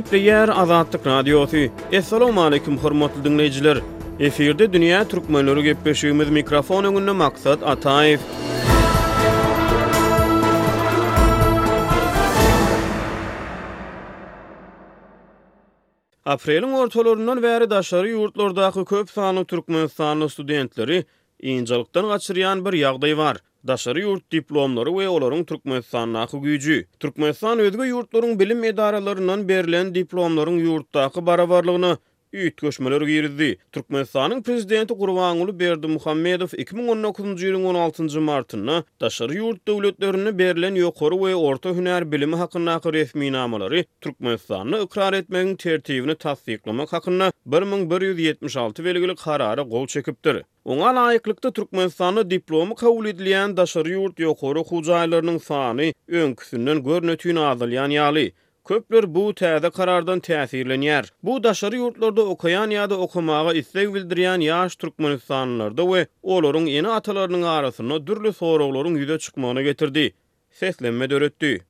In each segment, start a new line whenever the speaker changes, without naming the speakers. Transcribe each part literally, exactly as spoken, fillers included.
Gepleýär Azatlyk Radiosy. Assalamu hormatly diňleýjiler. Efirde Dünýä Türkmenleri gepleşigimiz mikrofon öňünde Maksat Ataýew. Apreliň ortalaryndan bäri daşary ýurtlardaky köp sanly Türkmenistanly studentleri injalykdan gaçyrýan bir ýagdaý bar. Daşary ýurt diplomlary we olaryň Türkmenistandaky güýji. Türkmenistan özge ýurtlaryň bilim edaralaryndan berlen diplomlaryň ýurtdaky barabarlygyna üýtgeşmeler girizdi. Türkmenistanyň prezidenti Gurbanguly Berdimuhamedow iki müň on dokuzynjy ýylyň on altynjy martynda daşary ýurt döwletlerinde berlen ýokary we orta hünär bilimi hakyndaky resminamalary Türkmenistanda ykrar etmegiň tertibini tassyklamak hakynda bir müň bir ýüz ýetmiş alty belgili karara gol çekipdir. Oňa laýyklykda Türkmenistanda diplomy kabul edilýän daşary ýurt ýokary okuw jaýlarynyň sany öňküsinden görnütün azalýan ýaly. Köpler bu täze karardan täsirlenýär. Bu daşary ýurtlarda okaýan ýa-da okamaga isleg bildirýän ýaş Türkmenistanlylarda we olaryň ene-atalarynyň arasynda dürli soraglaryň ýüze çykmagyna getirdi. Seslenme döretdi.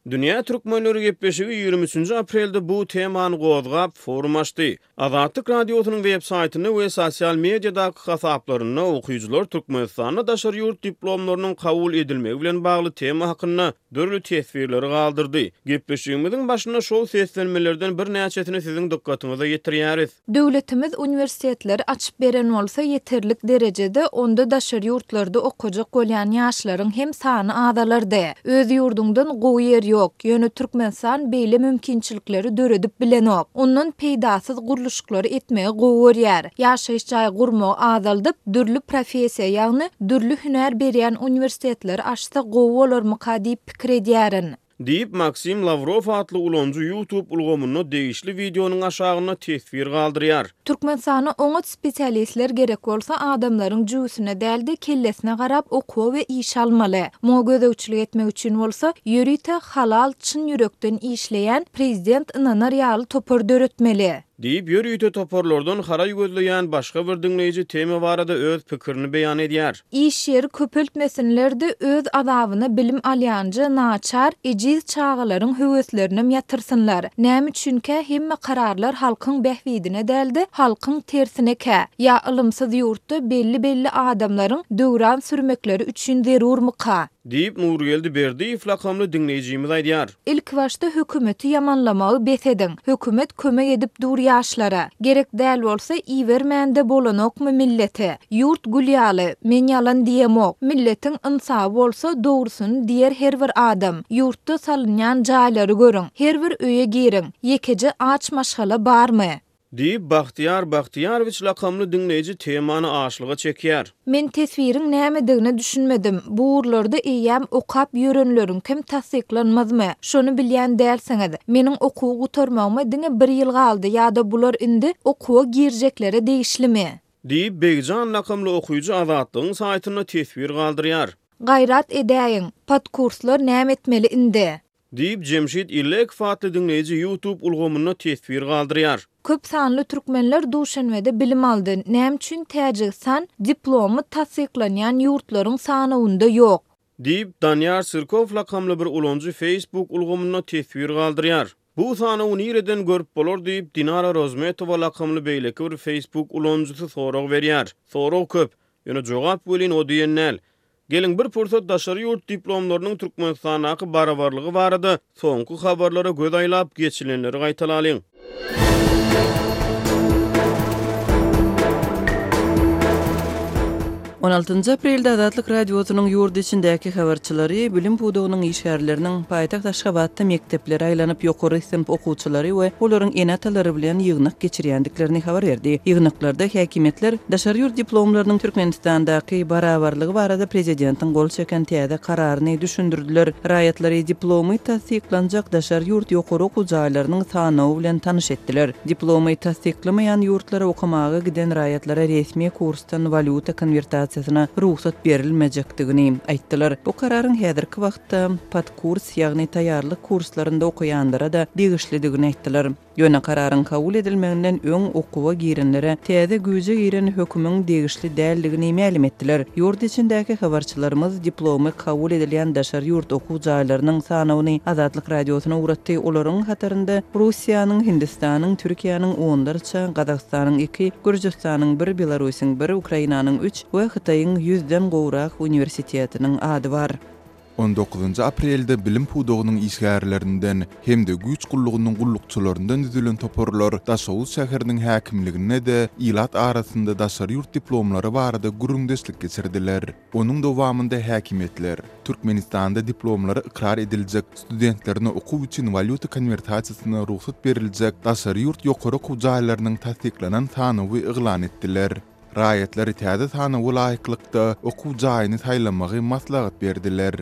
Dünýä Türkmenleri gepleşigi ýigrimi üçünji aprelde bu temany gozgap forum açdy. Azatlyk Radiosynyň web saýtynda we sosial mediadaky hasaplarynda okyjylar Türkmenistanda daşary ýurt diplomlarynyň kabul edilmegi bilen bagly tema hakynda dürli teswirleri galdyrdy. Gepleşigimiziň başynda şol seslenmelerden birnäçesini siziň dykgatyňyza ýetirýäris.
Döwletimiz uniwersitetleri açyp beren bolsa ýeterlik derejede onda daşary ýurtlarda okajak bolýan ýaşlaryň hem sany azalardy. Öz ýurduňdan gowy ýer ýok. Ýöne Türkmenistan beýle mümkinçilikleri döredip bilenok. Ondan peýdasyz gurluşyklary etmegi gowy görýär. Ýaşaýyş jaý gurmagy azaldyp, dürli professiýa, ýagny dürli hünär berýän uniwersitetleri açsa gowy bolarmyka diýip pikir edýärin.
Diýip Maksim Lavrov atly ulanyjy YouTube ulgamynda degişli wideonyň aşagynda teswir galdyrýar.
Türkmenistana oňat spesialistler gerek bolsa adamlaryň jüwsüne dälde kellesine garap okuwa we iş almaly. Muňa gözegçilik etmek üçin bolsa ýörite halal çyn ýürekden işleýän prezident ynanar ýaly topar döretmeli.
Diýip ýörite toparlardan haraý gözleýän başga bir diňleýji tema barada öz pikirini beýan edýär.
Iş ýeri köpeltmesinler-de öz azabyna bilim alýanja naçar, ejiz çagalaryň höweslerinem ýatyrsynlar. Näme üçinkä hemme kararlar halkyň bähbidine dälde halkyň tersinekä. Ýa ylymsyz ýurtda belli-belli adamlaryň döwran sürmekleri üçin zerurmyka?
Diýip Nurgeldi Berdiýew lakamly diňleýjimiz aýdýar.
Ilk başda hökümeti ýamanlamagy bes ediň. Hökümet kömek edip dur ýaşlara. Gerek däl bolsa ibermände bolanokmy millete? Ýurt gül ýaly, men ýalan diýemok. Milletiň ynsaby bolsa dogrusyny diýer her bir adam. Ýurtda salynýan jaýlary görüň. Her bir öýe giriň. Ýekeje aç maşgala barmy?
Diýip Bagtyýar Bagtyýarowiç lakamly diňleýji temany açlyga çekýär.
Men teswiriň nämedigine düşünmedim. Bu ugurlarda eýýäm okap ýörenleriň kim tassyklanmazmy? Şony bilýän dälsiňiz. Meniň okuwy gutarmagyma diňe bir ýyl galdy ýa-da bular indi okuwa girjeklere degişlimi?
Diýip Begjan lakamly okyjy Azatlygyň saýtynda teswir galdyrýar.
Gaýrat edäýiň, podkurslar näme etmeli indi?
Diýip Jemşit Illekow atly diňleýji YouTube ulgamynda teswir galdyrýar.
Köp sanly türkmenler Duşenbede bilim aldy. Näme üçin Täjigistan diplomy tassyklanýan ýurtlaryň sanawynda ýok?
Diýip Danýar Sirkow lakamly bir ulanyjy Facebook ulgamynda teswir galdyrýar. Bu sanawy nireden görüp bolar diýip Dinara Rozmetowa lakamly beýleki bir Facebook ulanyjysy sorag berýär. Sorag köp, ýöne jogap welin o diýen däl. Geliň bir pursat daşary ýurt diplomlarynyň Türkmenistandaky barabarlygy barada soňky habarlara göz aýlap geçilenleri gaýtalalyň.
on altynjy aprelde Azatlyk Radiosynyň ýurt içindäki habarçylary bilim pudagynyň işgärleriniň paýtagt Aşgabatda mekdeplere aýlanyp ýokary synp okuwçylary we olaryň ene-atalary bilen ýygnak geçirýändiklerini habar berdi. Ýygnaklarda häkimiýetler daşary ýurt diplomlarynyň Türkmenistandaky barabarlygy barada prezidentiň gol çeken täze kararyny düşündirdiler. Raýatlary diplomy tassyklanjak daşary ýurt ýokary okuw jaýlarynyň sanawy bilen tanyş etdiler. Diplomy tassyklamaýan ýurtlara okamaga giden raýatlara resmi kursdan walýuta konwertasiýasyna rugsat berilmejekdigini aýtdylar. Bu kararyň häzirki wagtda podkurs, ýagny taýýarlyk kurslarynda okaýanlara da degişlidigini aýtdylar. Ýöne kararyň kabul edilmeginden öň okuwa girenlere täze güýje giren hökümiň degişli däldigini mälim etdiler. Ýurt içindäki habarçylarymyz diplomy kabul edilýän daşary ýurt okuw jaýlarynyň sanawyny Azatlyk Radiosyna ugratdy. Olaryň hatarynda Russiýanyň, Hindistanyň, Türkiýäniň onlarça, Gazagystanyň iki, Gürjüstanyň bir, Belarusyň bir, Ukrainanyň üç we Hytaýyň ýüzden gowrak uniwersitetiniň ady bar.
On dokuzynjy aprelde bilim pudagynyň işgärlerinden hem-de güýç gullugynyň gullukçylaryndan düzülen toparlar Daşoguz şäheriniň häkimliginde-de ilat arasynda daşary ýurt diplomlary barada gürrüňdeşlik geçirdiler. Onuň dowamynda häkimiýetler Türkmenistanda diplomlary ykrar ediljek, studentlerine okuw üçin walýuta konwertasiýasyna rugsat beriljek daşary ýurt ýokary okuw jaýlarynyň tassyklanan sanawy yglan etdiler. Raýatlary täze sanawa laýyklykda okuw jaýyny saýlamagy maslahat berdiler.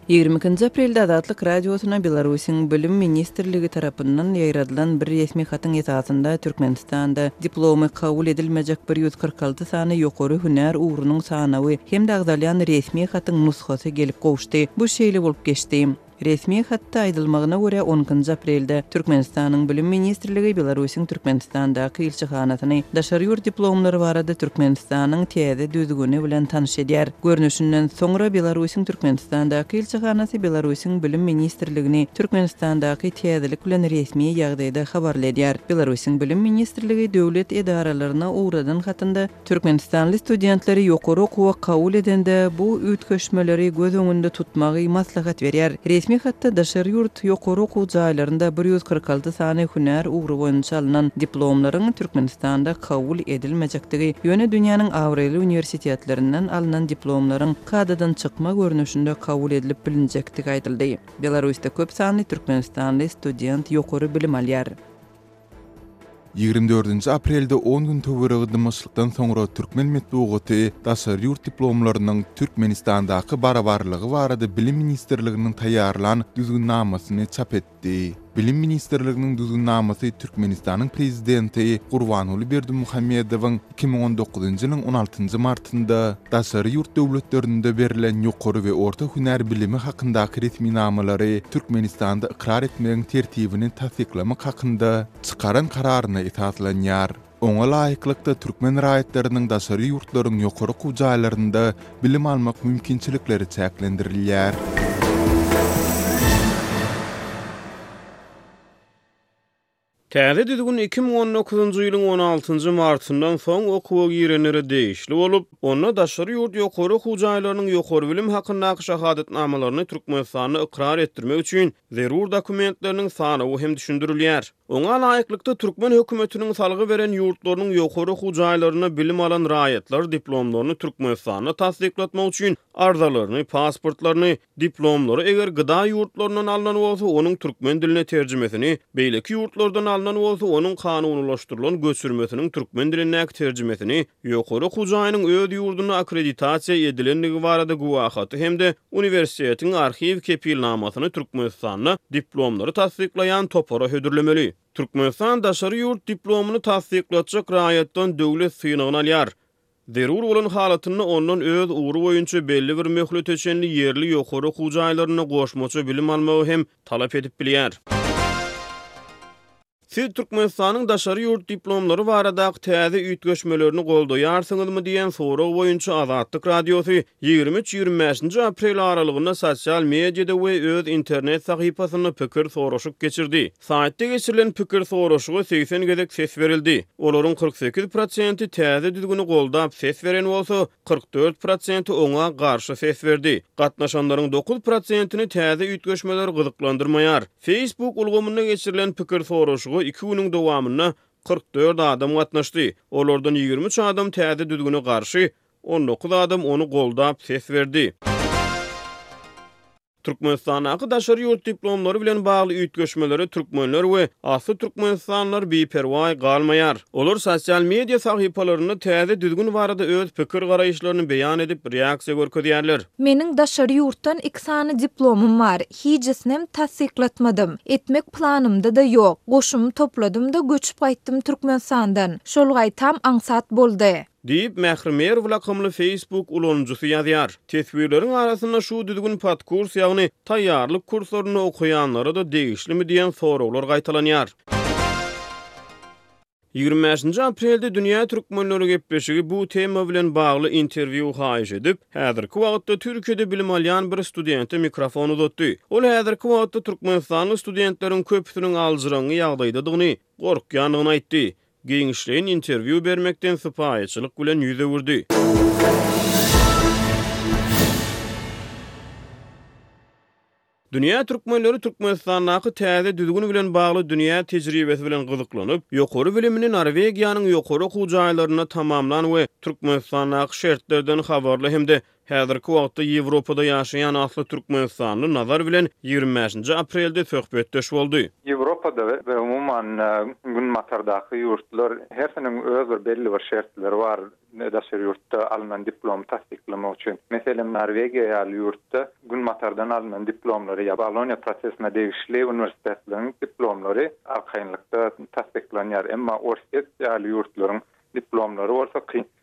Ýigrimi ikinji aprelde Azatlyk Radiosyna Belarusyň Bilim ministrligi tarapyndan ýaýradylan bir resmi hatyň esasynda Türkmenistanda diplomy kabul edilmejek bir ýüz kyrk alty sany ýokary hünär ugrunyň sanawy hem-de agzalýan resmi hatyň nusgasy gelip gowuşdy. Bu şeýle bolup geçdi. Resmi hatda aýdylmagyna görä on ikinji aprelde Türkmenistanyň Bilim ministrligi Belarusyň Türkmenistandaky ilçihanasyny daşary ýurt diplomlary barada Türkmenistanyň täze düzgüni bilen tanyş edýär. Görnüşinden soňra Belarusyň Türkmenistandaky ilçihanasy Belarusyň Bilim ministrligini Türkmenistandaky täzelik bilen resmi ýagdaýda habarly edýär. Belarusyň Bilim ministrligi döwlet edaralaryna ugradan hatynda Türkmenistanly studentleri ýokary okuwa kabul edende bu üýtgeşmeleri göz öňünde tutmagy maslahat berýär. Resmi hatda daşary ýurt ýokary okuw jaýlarynda bir ýüz kyrk alty sany hünär ugry boýunça alnan diplomlaryň Türkmenistanda kabul edilmejekdigi, ýöne dünýäniň abraýly uniwersitetlerinden alnan diplomlaryň kadadan çykma görnüşinde kabul edilip bilinjekdigi aýdyldy. Belarusda köp sanly Türkmenistanly student ýokary bilim alýar.
Ýigrimi dördünji aprelde on gün töweregi dymyşlykdan soňra türkmen metbugaty daşary ýurt diplomlarynyň Türkmenistandaky barabarlygy barada Bilim ministrliginiň taýýarlan düzgünnamasyny çap etdi. Bilim ministrliginiň düzgünnamasy Türkmenistanyň prezidenti Gurbanguly Berdimuhamedowyň iki müň on dokuzynjy ýylyň on altynjy martynda daşary ýurt döwletlerinde berlen ýokary we orta hünär bilimi hakyndaky resminamalary Türkmenistanda ykrar etmegiň tertibini tassyklamak hakynda çykaran kararyna esaslanýar. Oňa laýyklykda türkmen raýatlarynyň daşary ýurtlaryň ýokary okuw jaýlarynda bilim almak mümkinçilikleri çäklendirilýär.
Täze düzgün iki müň on dokuzynjy ýylyň on altynjy martyndan soň okuwa girenlere degişli bolup, onda daşary ýurt ýokary okuw jaýlarynyň ýokary bilim hakyndaky şahadatnamalaryny Türkmenistanda ykrar etdirmek üçin zerur dokumentleriniň sanawy hem düşündirilýär. Oňa laýyklykda türkmen hökümetiniň salgy beren ýurtlarynyň ýokary okuw jaýlarynda bilim alan raýatlar diplomlaryny Türkmenistanda tassyklatmak üçin arzalaryny, pasportlaryny, diplomlary eger gıda ýurtlaryndan alnan bolsa, onuň türkmen diline terjimesini, beýleki ýurtlardan alnan bolsa, onuň kanunylaşdyrylan göçürmesiniň türkmen dilindäki terjimesini, ýokary okuw jaýynyň öz ýurdunda akkreditasiýa edilendigi barada guwahaty hem-de uniwersitetiň arhiw kepilnamasyny Türkmenistanda diplomlary tassyklaýan topara hödürlemeli. Türkmenistan daşary ýurt diplomyny tassyklatjak raýatdan döwlet synagyny alýar. Zerur bolan halatynda ondan öz ugry boýunça belli bir möhlete çenli ýerli ýokary okuw jaýlarynda goşmaça bilim almagy hem talap edip bilýär. Siz Türkmenistanyň daşary ýurt diplomlary baradaky täze üýtgeşmelerini goldaýarsyňyzmy diýen sorag boýunça Azatlyk Radiosy ýigrimi üç ýigrimi bäşinji aprel aralygynda sosial mediada we öz internet sahypasynda pikir soraşyk geçirdi. Saýtda geçirilen pikir soraşyga segsen gezek ses berildi. Olaryň kyrk sekiz prosenti täze düzgüni goldap ses beren bolsa, kyrk dört prosenti oňa garşy ses berdi. Gatnaşanlaryň dokuz prosentini täze üýtgeşmeler gyzyklandyrmaýar. Facebook ulgamynda geçirilen pikir soraşyga iki günüň dowamynda kyrk dört adam gatnaşdy. Olardan ýigrimi üç adam täze düzgüne garşy, on dokuz adam ony goldap ses berdi. Türkmenistandaky daşary ýurt diplomlary bilen bagly üýtgeşmelere türkmenler we asly türkmenistanlylar biperwaý galmaýar. Olar sosial media sahypalarynda täze düzgün barada öz pikir garaýyşlaryny beýan edip reaksiýa görkezýärler.
Meniň daşary ýurtdan iki sany diplomum bar. Hiçisinem tassyklatmadym. Etmek planymda da ýok. Goşumy topladym da göçüp gaýtdym Türkmenistandan. Şol gaýtam aňsat boldy.
Diýip Mähri Merw lakamly Facebook ulanyjysy ýazýar. Teswirleriň arasynda şu düzgün podkurs, ýagny taýýarlyk kurslarynda okaýanlara da degişlimi diýen soraglar gaýtalanýar. Ýigrimi bäşinji aprelde Dünýä türkmenleri gepleşigi bu tema bilen bagly interwýu haýyş edip, häzirki wagtda Türkiýede bilim alýan bir studente mikrofon uzatdy. Ol häzirki wagtda türkmenistanly studentleriň köpüsiniň aljyraňňy ýagdaýdadygyny, gorkýandygyny aýtdy. Giňişleýin interwýu bermekden sypaýyçylyk bilen ýüz öwürdi. Dünýä türkmenleri Türkmenistandaky täze düzgün bilen bagly dünýä tejribesi bilen gyzyklanyp, ýokary bilimini Norwegiýanyň ýokary okuw jaýlarynda tamamlan we Türkmenistandaky şertlerden habarly hem-de häzirki wagtda Ýewropada ýaşaýan asly türkmenistanly Nazar bilen ýigrimi bäşinji aprelde söhbetdeş boldy.
Ýewropada we umuman Günbatardaky ýurtlar hersiniň öz bir belli bir şertleri bar daşary ýurtda alnan diplomy tassyklamak üçin. Meselem, Norwegiýa ýaly ýurtda Günbatardan alnan diplomlary ýa Boloniýa prosesine degişli uniwersitetleriň diplomlary arkaýynlykda tassyklanýar. Emma Orsýet ýaly ýurtlaryň diplomlary bolsa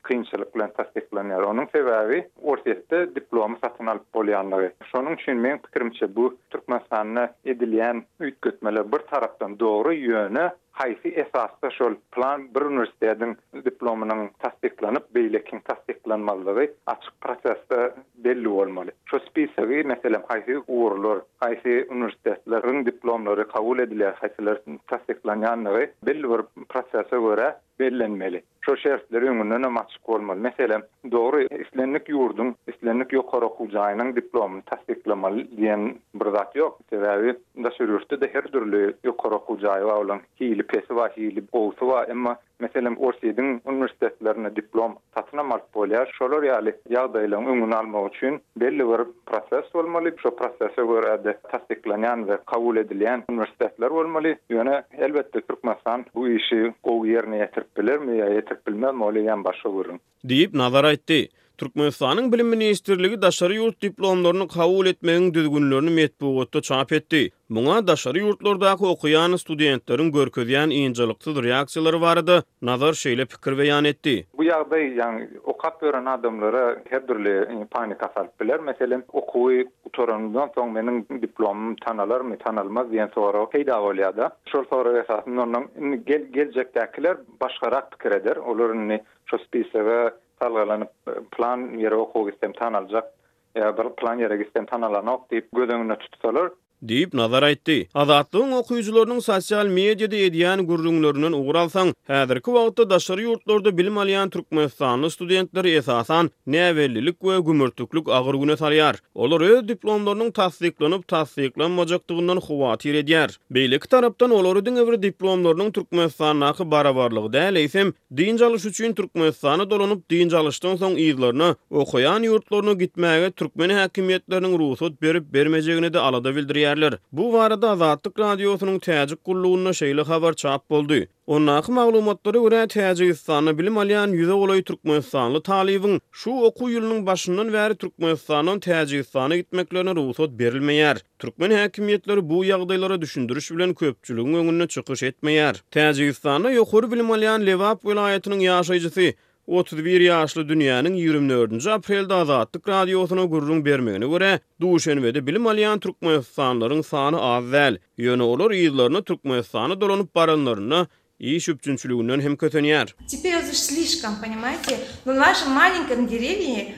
kynçylyk bilen tassyklanýar. Onuň sebäbi Orsýetde diplomy satyn alyp bolýanlygy. Şonuň üçin meň pikirimçe bu Türkmenistanda edilýän üýtgetmeler bir tarapdan dogry, ýöne haýsy esasda şol plan bir uniwersitetiň diplomynyň tassyklanyp, beýlekiň tassyklanmazlygy açyk prosesde belli bolmaly. Şo spisogy, meselem, haýsy ugurlar, haýsy uniwersitetleriň diplomlary kabul edilýär, haýsylar tassyklanýanlygy belli bir prosese görä bellenmeli. Şo şertler öňünden hem açyk bolmaly. Meselem, dogry islendik ýurduň, islendik ýokary okuw jaýynyň diplomyny tassyklamaly diýen bir zat ýok. Sebäbi daşary ýurtda-da her dürli ýokary okuw jaýy bar, olaryň hili pesi bar, hili gowusy bar. Emma meselem, Orsýetiň uniwersitetlerinde diplom satyn alyp bolýar. Şolar ýaly ýagdaýlaryň öňüni almak üçin belli bir proses bolmaly. Şo prosese görä-de tassyklanýan we kabul edilýän uniwersitetler bolmaly. Ýöne elbetde Türkmenistan bu işi gowy ýerine ýetirip bilermi ýa ýetirip bilmezmi, ol eýýäm başga gürrüň.
Diýip, Nazar aýtdy. Türkmenistanyň Bilim ministrligi daşary ýurt diplomlaryny kabul etmegiň düzgünlerini metbugatda çap etdi. Muňa daşary ýurtlardaky okaýan studentleriň görkezýän ynjalyksyz reaksiýalary barada Nazar şeýle pikir beýan etdi.
Bu ýagdaý, ýagny okap ýören adamlara her dürli panika salyp biler. Meselem, okuwy gutarandan soň meniň diplomym tanalarmy, tanalmaz diýen sorag peýda bolýar-da. Şol sorag esasynda ondan indi geljekdäkiler başgarak pikir eder. Olar indi şo spisoga salgalanyp plan ýere okuw gitsem tanaljak ýa bir plan ýere gitsem tanalanok diýip göz öňünde tutsalar.
Diýip, Nazar aýtdy. Azatlygyň okyjylarynyň sosial mediada edýän gürrüňlerinden ugur alsaň, häzirki wagtda daşary ýurtlarda bilim alýan türkmenistanly studentleri esasan näbellilik we gümürtiklik agyr güne salýar. Olar öz diplomlarynyň tassyklanyp tassyklanmajakdygyndan howatyr edýär. Beýleki tarapdan olary diňe bir diplomlarynyň Türkmenistandaky barabarlygy däl, eýsem, dynç alyş üçin Türkmenistana dolanyp, dynç alyşdan soň yzlaryna, okaýan ýurtlaryna gitmäge türkmen häkimiýetleriniň rugsat berip bermejegine de alada bildirýärler. Bu barada Azatlyk Radiosynyň Täjik gullugynda şeýle habar çap boldy. Ondaky maglumatlara görä Täjigistanda bilim alýan ýüze golaý türkmenistanly talybyň şu okuw ýylynyň başyndan bäri Türkmenistandan Täjigistana gitmeklerine rugsat berilmeýär. Türkmen häkimiýetleri bu ýagdaýlara düşündiriş bilen köpçüligiň öňünde çykyş etmeýär. Täjigistanda ýokary bilim alýan Lebap welaýatynyň ýaşaýjysy otuz bir ýaşly dünýäniň ýigrimi dördünji aprelde Azatlyk Radiosyna gürrüň bermegine görä, Duşenbede bilim alýan türkmenistanlylaryň sany az däl. Ýöne olar yzlaryna Türkmenistana dolanyp baranlarynda iş üpjünçiliginden hem kösenýär.
Теперь уже слишком, понимаете? Но в нашем маленьком деревне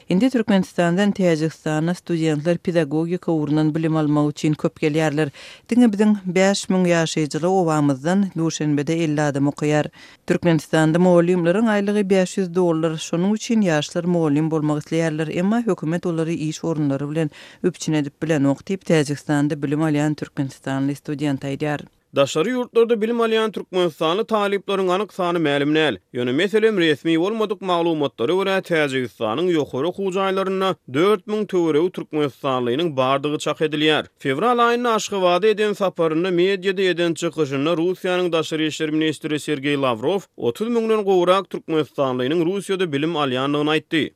Indi Türkmenistandan Täjigistana studentler pedagogika ugrundan bilim almak üçin köp gelýärler. Diňe biziň bäş müň ýaşaýjyly obamyzdan Duşenbede elli adam okaýar. Türkmenistanda mugallymlaryň aýlygy bäş ýüz dollar, şonuň üçin ýaşlar mugallym bolmak isleýärler, emma hökümet olary iş orunlary bilen üpjün edip bilenok diýip Täjigistanda bilim alýan türkmenistanly student aýdýar.
Daşary ýurtlarda bilim alýan türkmenistanly talyplaryň anyk sany mälim däl. Ýöne meselem resmi bolmadyk maglumatlara görä Täjigistanyň ýokary okuw jaýlarynda dört müň töweregi türkmenistanlynyň bardygy çak edilýär. Fewral aýynda Aşgabada eden saparynda mediada eden çykyşynda Russiýanyň daşary işler ministri Sergeý Lawrow otuz müňden gowrak türkmenistanlynyň Russiýada bilim alýandygyny aýtdy.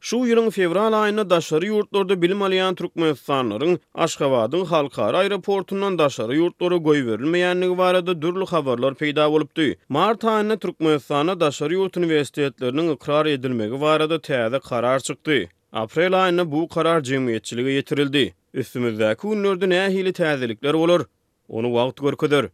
Şu ýylyň fewral aýynda daşary ýurtlarda bilim alýan türkmenistanlylaryň Aşgabadyň halkara aeroportundan daşary ýurtlara goýberilmeýändigi barada dürli habarlar peýda bolupdy. Mart aýynda Türkmenistanda daşary ýurt uniwersitetleriniň ykrar edilmegi barada täze karar çykdy. Aprel aýynda bu karar jemgyýetçilige ýetirildi. Üstümizdäki günlerde nähili täzelikler bolar? Ony wagt görkezer.